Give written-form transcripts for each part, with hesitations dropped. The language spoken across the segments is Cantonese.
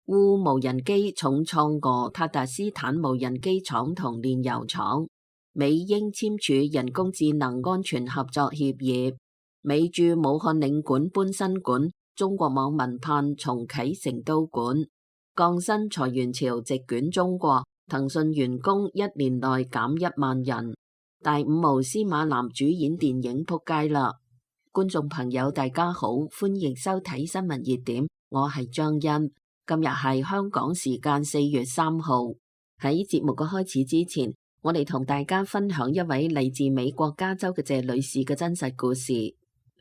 烏無人機重創俄塔達斯坦無人機廠同煉油廠。美英簽署人工智能安全合作協議。美駐武漢領館搬新館，中國網民盼重啟成都館。降薪裁員潮席捲中國，騰訊員工1年內減1萬人。大五毛司馬南主演電影撲街啦！觀眾朋友大家好，歡迎收睇新聞熱點，我係張欣。今日係香港時間4月3號。喺節目嘅開始之前，我哋同大家分享一位嚟自美國加州嘅謝女士嘅真實故事。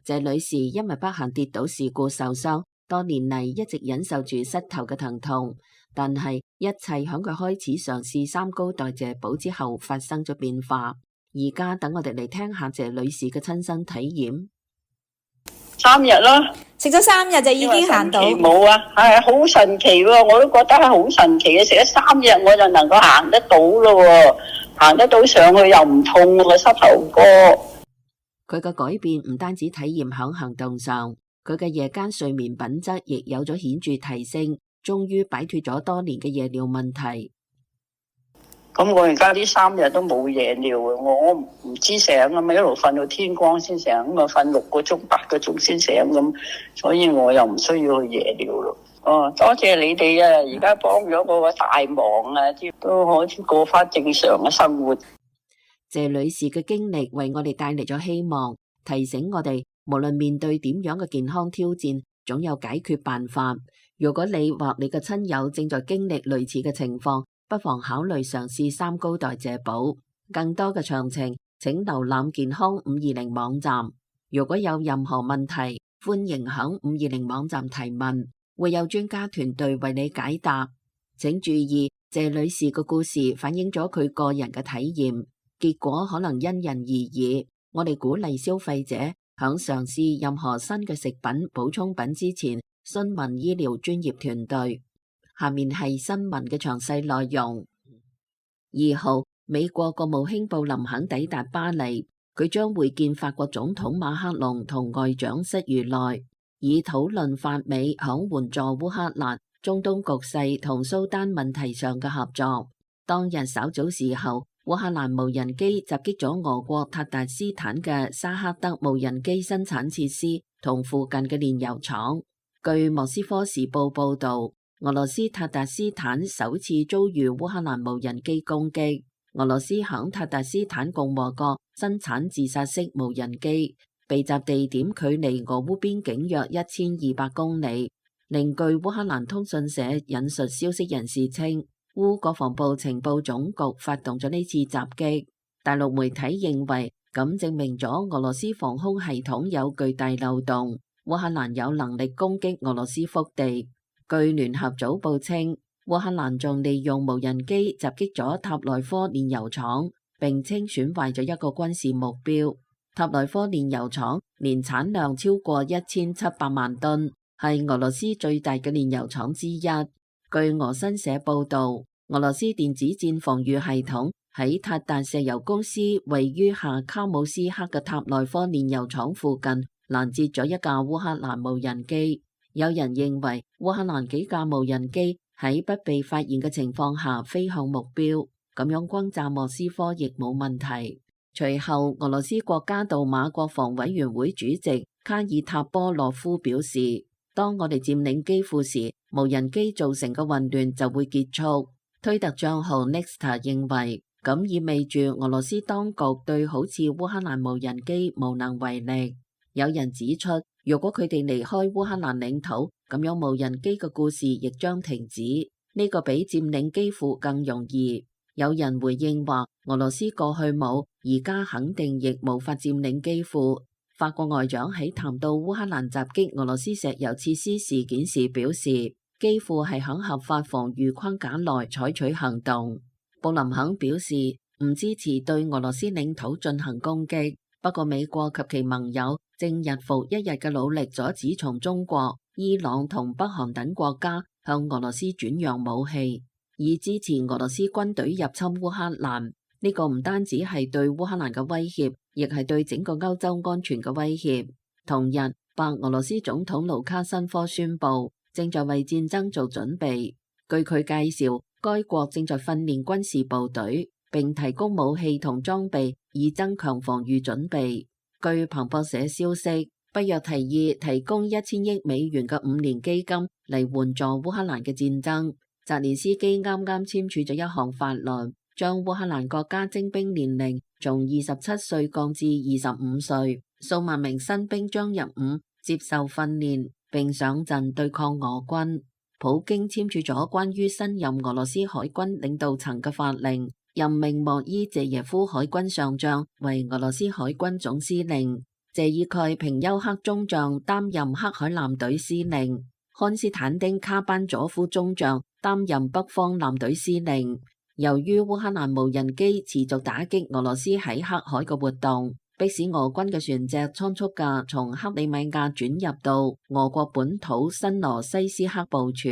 謝女士因為不幸跌倒事故受傷，多年嚟一直忍受住膝頭嘅疼痛，但係一切響佢開始嘗試三高代謝寶之後發生咗變化。而家等我哋嚟聽下謝女士嘅親身體驗。3日啦，食咗3日就已經行到。冇啊，係好神奇喎！我都覺得係好神奇嘅，食咗3日我就能夠行得到咯，行得到上去又唔痛個膝頭哥。佢嘅改變唔單止體驗響行動上，佢嘅夜間睡眠品質亦有咗顯著提升，終於擺脫咗多年嘅夜尿問題。咁我而家呢3日都冇夜尿啊！我唔知醒啊嘛，一路瞓到天光先醒，咁啊瞓6個鐘、8個鐘先醒咁，所以我又唔需要去夜尿咯。哦，多謝你哋啊！而家幫咗我個大忙啊，都可以過翻正常嘅生活。謝女士嘅經歷為我哋帶嚟咗希望，提醒我哋無論面對點樣嘅健康挑戰，總有解決辦法。如果你或你嘅親友正在經歷類似嘅情況，不妨考慮嘗試三高代謝寶。更多嘅詳情，請瀏覽健康520網站。如果有任何問題，歡迎響520網站提問，會有專家團隊為你解答。請注意，謝女士嘅故事反映咗佢個人嘅體驗，結果可能因人而異。我哋鼓勵消費者響嘗試任何新嘅食品補充品之前，詢問醫療專業團隊。下面係新聞嘅詳細內容。2號，美國國務卿布林肯抵達巴黎，佢將會見法國總統馬克龍同外長室儒內，以討論法美響援助烏克蘭、中東局勢同蘇丹問題上嘅合作。當日稍早時候，烏克蘭無人機襲擊咗俄國塔達斯坦嘅沙克德無人機生產設施同附近嘅煉油廠。據莫斯科時報報道，俄羅斯塔達斯坦首次遭遇烏克蘭無人機攻擊。俄羅斯響塔達斯坦共和國生產自殺式無人機，被襲地點距離俄烏邊境約1200公里。另據烏克蘭通訊社引述消息人士稱，烏國防部情報總局發動咗呢次襲擊。大陸媒體認為，咁證明咗俄羅斯防空系統有巨大漏洞，烏克蘭有能力攻擊俄羅斯腹地。據聯合早報稱，烏克蘭仲利用無人機襲擊咗塔內科煉油廠，並稱損壞咗一個軍事目標。塔內科煉油廠年產量超過1700萬噸，係俄羅斯最大嘅煉油廠之一。據俄新社報道，俄羅斯電子戰防禦系統喺塔達石油公司位於下卡姆斯克嘅塔內科煉油廠附近攔截咗一架烏克蘭無人機。有人認為烏克蘭幾架無人機喺不被發現嘅情況下飛向目標，咁樣轟炸莫斯科亦冇問題。隨後，俄羅斯國家杜馬國防委員會主席卡爾塔波洛夫表示，當我哋佔領基輔時，無人機造成嘅混亂就會結束。推特賬號 Nexta 認為，咁意味住俄羅斯當局對好似烏克蘭無人機無能為力。有人指出，如果佢哋離開烏克蘭領土，咁樣無人機嘅故事亦將停止。呢個比佔領基輔更容易。有人回應話，俄羅斯過去冇，而家肯定亦無法佔領基輔。法國外長喺談到烏克蘭襲擊俄羅斯石油設施事件時表示，基輔係響合法防禦框架內採取行動。布林肯表示唔支持對俄羅斯領土進行攻擊，不過美國及其盟友正日復一日嘅努力阻止從中國、伊朗同北韓等國家向俄羅斯轉讓武器，以支持俄羅斯軍隊入侵烏克蘭。呢個唔單止係對烏克蘭嘅威脅，亦係對整個歐洲安全嘅威脅。同日，白俄羅斯總統盧卡申科宣布，正在為戰爭做準備。據佢介紹，該國正在訓練軍事部隊，並提供武器同裝備，以增強防禦準備。據彭博社消息，北約提議提供1000億美元嘅5年基金嚟援助烏克蘭嘅戰爭。澤連斯基啱啱簽署咗一項法律，將烏克蘭國家徵兵年齡從27歲降至25歲，數萬名新兵將入伍接受訓練，並上陣對抗俄軍。普京簽署咗關於新任俄羅斯海軍領導層嘅法令，任命莫伊謝耶夫海軍上將為俄羅斯海軍總司令，謝爾蓋平丘克中將擔任黑海艦隊司令，漢斯坦丁卡班佐夫中將擔任北方艦隊司令。由於烏克蘭無人機持續打擊俄羅斯喺黑海嘅活動，迫使俄軍嘅船隻倉促嘅從克里米亞轉入到俄國本土新羅西斯克部署。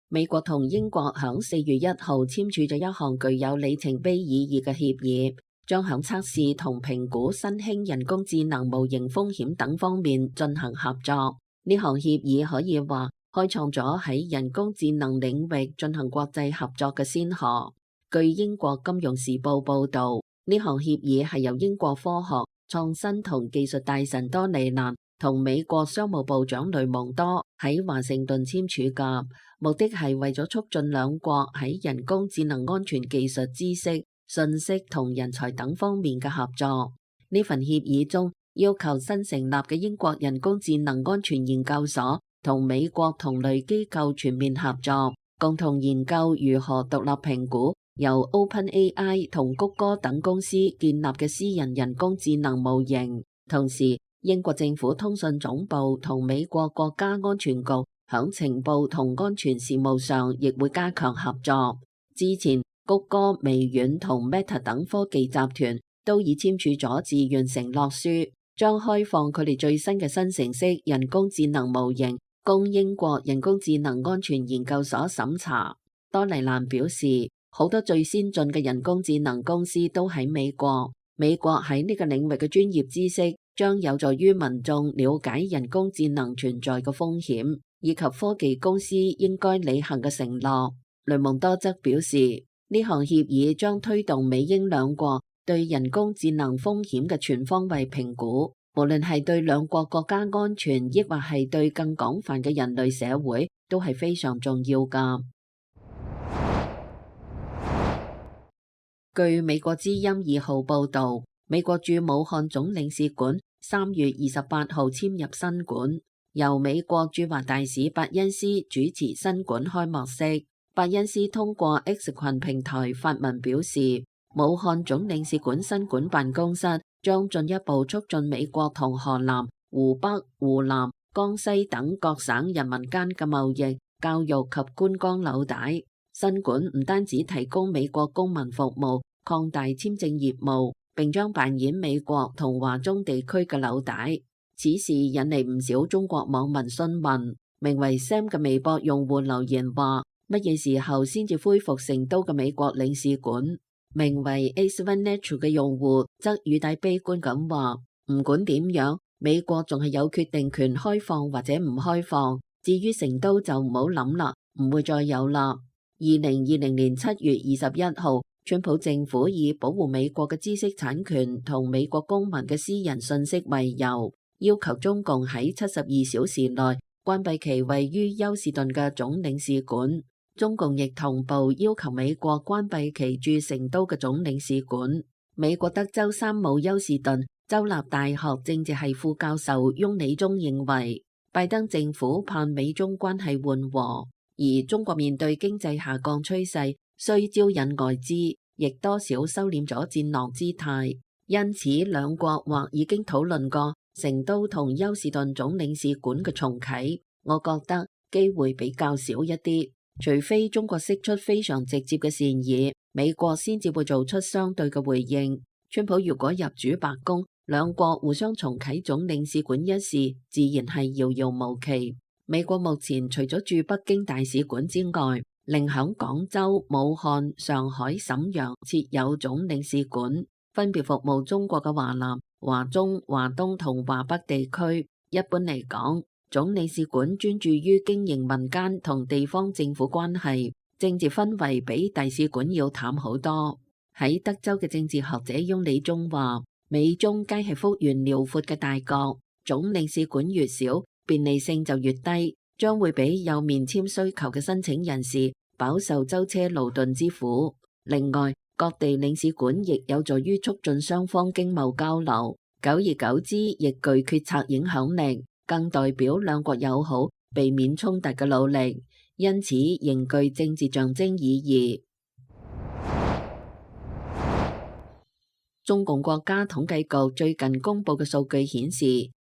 美國同英國響4月1號簽署咗一項具有里程碑意義嘅協議，將響測試同評估新興人工智能模型風險等方面進行合作。呢項協議可以話開創咗喺人工智能領域進行國際合作嘅先河。據英國金融時報報導，呢項協議係由英國科學、創新同技術大臣多尼蘭同美國商務部長雷蒙多喺華盛頓簽署嘅，目的係為咗促進兩國喺人工智能安全技術知識、信息同人才等方面嘅合作。呢份協議中要求新成立嘅英國人工智能安全研究所同美國同類機構全面合作，共同研究如何獨立評估由 OpenAI 同谷歌等公司建立嘅私人人工智能模型。同時，英國政府通訊總部同美國國家安全局響情報同安全事務上亦會加強合作。之前，谷歌、微軟同 Meta 等科技集團都已簽署咗自願承諾書，將開放佢哋最新嘅生成式人工智能模型供英國人工智能安全研究所審查。多尼蘭表示，好多最先進嘅人工智能公司都喺美國。美國喺呢個領域嘅專業知識將有助於民眾了解人工智能存在嘅風險，以及科技公司應該履行嘅承諾。雷蒙多則表示，呢項協議將推動美英兩國對人工智能風險嘅全方位評估，無論係對兩國國家安全，抑或係對更廣泛嘅人類社會，都係非常重要㗎。據美國之音2號報導，美國駐武漢總領事館3月28號遷入新館，由美國駐華大使伯恩斯主持新館開幕式。伯恩斯通過 X 群平台發文表示，武漢總領事館新館辦公室將進一步促進美國同河南、湖北、湖南、江西等各省人民間嘅貿易、教育及觀光紐帶。新館唔單止提供美國公民服務，擴大簽證業務，並將扮演美國同華中地區嘅紐帶。此事引嚟唔少中國網民詢問。名為 Sam 嘅微博用戶留言話：乜嘢時候先至恢復成都嘅美國領事館？名為 A7 Natural 嘅用戶則語帶悲觀咁話：唔管點樣，美國仲係有決定權開放或者唔開放。至於成都就唔好諗啦，唔會再有啦。2020年7月21號，川普政府以保護美國嘅知識產權同美國公民嘅私人信息為由，要求中共喺72小時內關閉其位於休士頓嘅總領事館。中共亦同步要求美國關閉其駐成都嘅總領事館。美國德州山姆休士頓州立大學政治系副教授翁理忠認為，拜登政府盼美中關係緩和。而中國面對經濟下降趨勢，需招引外資，亦多少收斂咗戰狼姿態。因此，兩國或已經討論過成都同休士頓總領事館嘅重啟。我覺得機會比較少一啲，除非中國釋出非常直接嘅善意，美國先至會做出相對嘅回應。川普如果入主白宮，兩國互相重啟總領事館一事，自然係遙遙無期。美國目前除咗駐北京大使館之外，另響廣州、武漢、上海、瀋陽設有總領事館，分別服務中國嘅華南、華中、華東同華北地區。一般嚟講，總領事館專注於經營民間同地方政府關係，政治氛圍比大使館要淡好多。喺德州嘅政治學者翁理忠話，美中皆係幅員遼闊嘅大國，總領事館越少，便利性就越低，將會俾有免簽需求嘅申請人士飽受舟車勞頓之苦。另外，各地領事館亦有助於促進雙方經貿交流，久而久之亦具決策影響力，更代表兩國友好、避免衝突嘅努力，因此仍具政治象徵意義。中共國家統計局最近公布嘅數據顯示，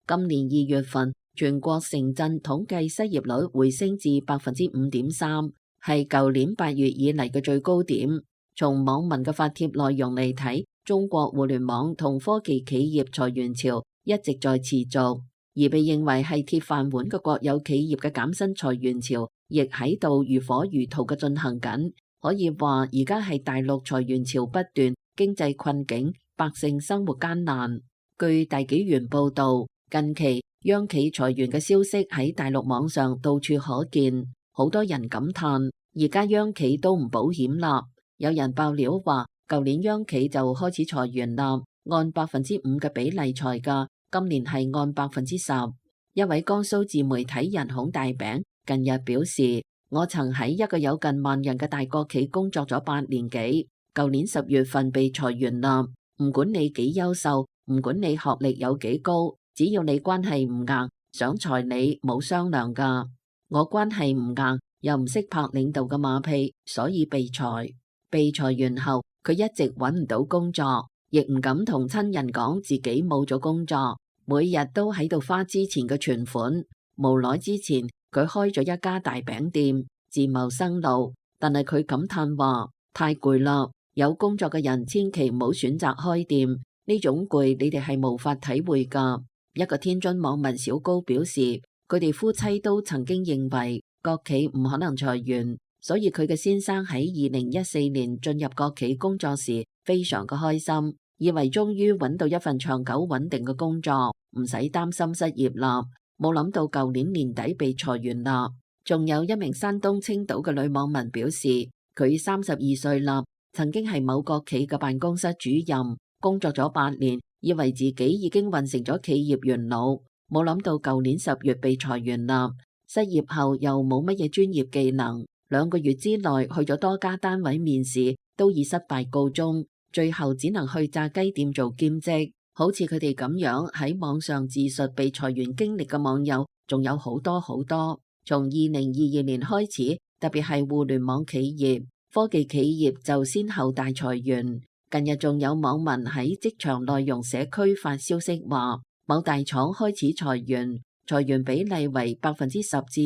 今年2月份全國城鎮統計失業率回升至5.3%，係舊年8月以嚟嘅最高點。從網民嘅發帖內容嚟睇，中國互聯網同科技企業裁員潮一直在持續，而被認為係鐵飯碗嘅國有企業嘅減薪裁員潮亦喺度如火如荼嘅進行緊。可以話而家係大陸裁員潮不斷，經濟困境，百姓生活艱難。據大紀元報道，近期央企裁員嘅消息喺大陸網上到處可見，好多人感嘆而家央企都唔保險啦。有人爆料話，舊年央企就開始裁員啦，按5%嘅比例裁㗎，今年係按10%。一位江蘇自媒體人孔大餅近日表示，我曾喺一個有近萬人嘅大國企工作咗8年幾，舊年10月份被裁員啦。唔管你幾優秀，唔管你學歷有幾高，只要你關係唔硬，想裁你冇商量㗎。我關係唔硬，又唔識拍領導嘅馬屁，所以被裁。被裁員後，佢一直揾唔到工作，亦唔敢同親人講自己冇咗工作，每日都喺度花之前嘅存款。無奈之前佢開咗一家大餅店，自謀生路，但係佢感嘆話太攰啦。有工作嘅人千祈唔好選擇開店，呢種攰你哋係無法體會㗎。一個天津網民小高表示，佢哋夫妻都曾經認為國企唔可能裁員，所以佢嘅先生喺2014年進入國企工作時非常嘅開心，以為終於揾到一份長久穩定嘅工作，唔使擔心失業啦。冇諗到舊年年底被裁員啦。仲有一名山東青島嘅女網民表示，佢32歲啦，曾經係某國企嘅辦公室主任，工作咗8年，以為自己已經混成咗企業元老，冇諗到舊年10月被裁員啦。失業後又冇乜嘢專業技能，2個月之內去咗多家單位面試，都以失敗告終，最後只能去炸雞店做兼職。好似佢哋咁樣喺網上自述被裁員經歷嘅網友，仲有好多好多。從2022年開始，特別係互聯網企業、科技企業就先後大裁員。近日仲有網民喺職場內容社區發消息話，某大廠開始裁員，裁員比例為10%至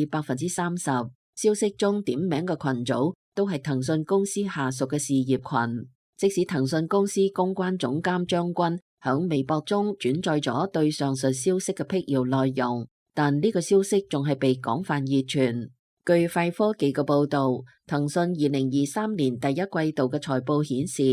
30%。消息中點名嘅群組都係騰訊公司下屬嘅事業群。即使騰訊公司公關總監張軍響微博中轉載咗對上述消息嘅闢謠內容，但呢個消息仲係被廣泛熱傳。據快科技嘅報導，騰訊2023年第一季度嘅財報顯示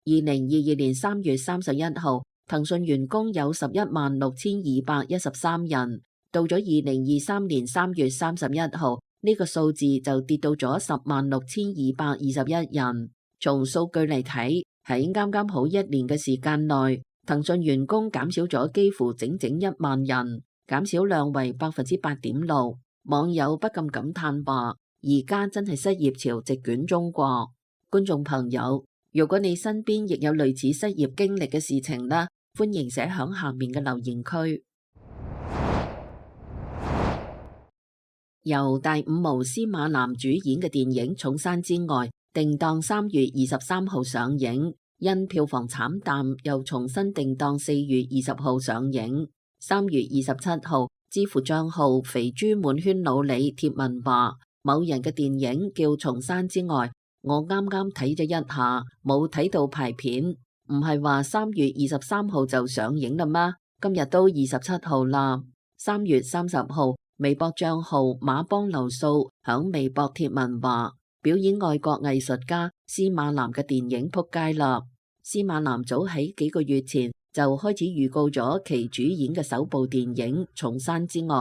，2022年3月31號，騰訊員工有116,213人，到咗2023年3月31號，呢個數字就跌到咗106,221人。從數據嚟睇，喺啱啱好1年嘅時間內，騰訊員工減少咗幾乎整整1萬人，減少量為8.6%。網友不禁感嘆話：而家真係失業潮席捲中國。觀眾朋友，如果你身邊亦有類似失業經歷嘅事情呢，歡迎寫響下面嘅留言區。由大五毛司馬南主演嘅電影《重山之外》定檔3月23號上映，因票房慘淡，又重新定檔4月20號上映。3月27號，知乎賬號肥豬滿圈老李貼文話，某人嘅電影叫《重山之外》，我啱啱睇咗一下，冇睇到排片，唔係話3月23號就上映啦咩？今日都27號啦。3月30號，微博賬號馬幫流數響微博貼文話，表演外國藝術家司馬南嘅電影撲街啦。司馬南早喺幾個月前就開始預告咗其主演嘅首部電影《重山之外》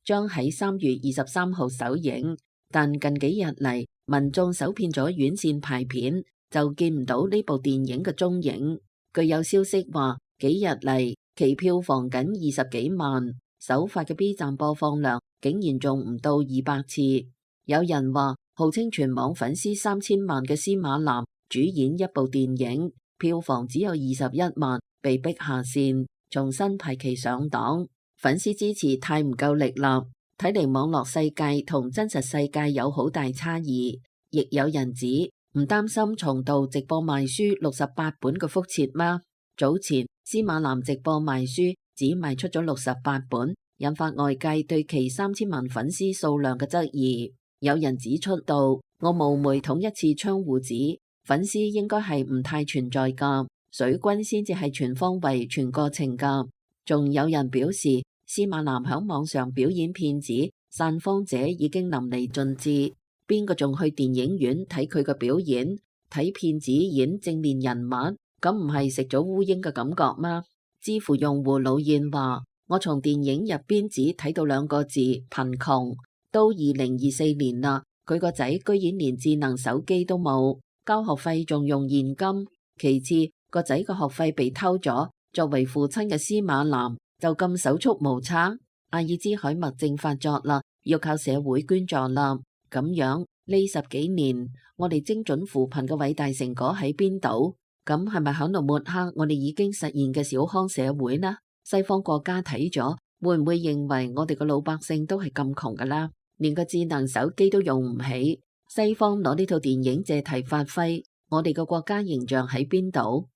將喺3月23號首映，但近幾日嚟，民眾搜遍咗院線排片，就見唔到呢部電影嘅蹤影。據有消息話，幾日嚟其票房僅20幾萬，首發嘅 B 站播放量竟然仲唔到200次。有人話，號稱全網粉絲3000萬嘅司馬南主演一部電影，票房只有21萬，被逼下線，重新排期上檔。粉絲支持太唔夠力啦，睇嚟網絡世界同真實世界有好大差異。亦有人指唔擔心重蹈直播賣書68本嘅覆轍嗎？早前司馬南直播賣書只賣出咗68本，引發外界對其3000萬粉絲數量嘅質疑。有人指出到，我冒昧捅一次窗戶紙，粉絲應該係唔太存在㗎，水軍先至係全方位全過程㗎。仲有人表示，司馬南響網上表演騙子散荒者已經淋漓盡致，邊個仲去電影院睇佢嘅表演？睇騙子演正面人物，咁唔係食咗烏蠅嘅感覺嗎？知乎用戶老燕話，我從電影入邊只睇到2個字貧窮，都2024年啦，佢個仔居然連智能手機都冇，交學費仲用現金。其次，個仔個學費被偷咗，作為父親嘅司馬南就咁手足無策。阿爾茲海默症發作啦，要靠社會捐助啦。咁樣呢10幾年，我哋精準扶貧嘅偉大成果喺邊度？咁係咪響度抹黑我哋已經實現嘅小康社會呢？西方國家睇咗會唔會認為我哋嘅老百姓都係咁窮噶啦？連個智能手機都用唔起，西方攞呢套電影借題發揮，我哋嘅國家形象喺邊度？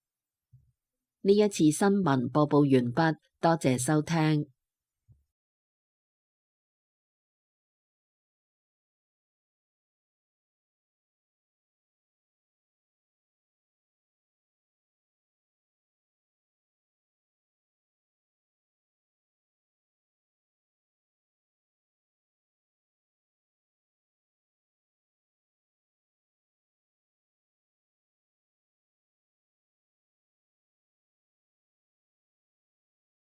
呢一次新聞播報完畢，多謝收聽。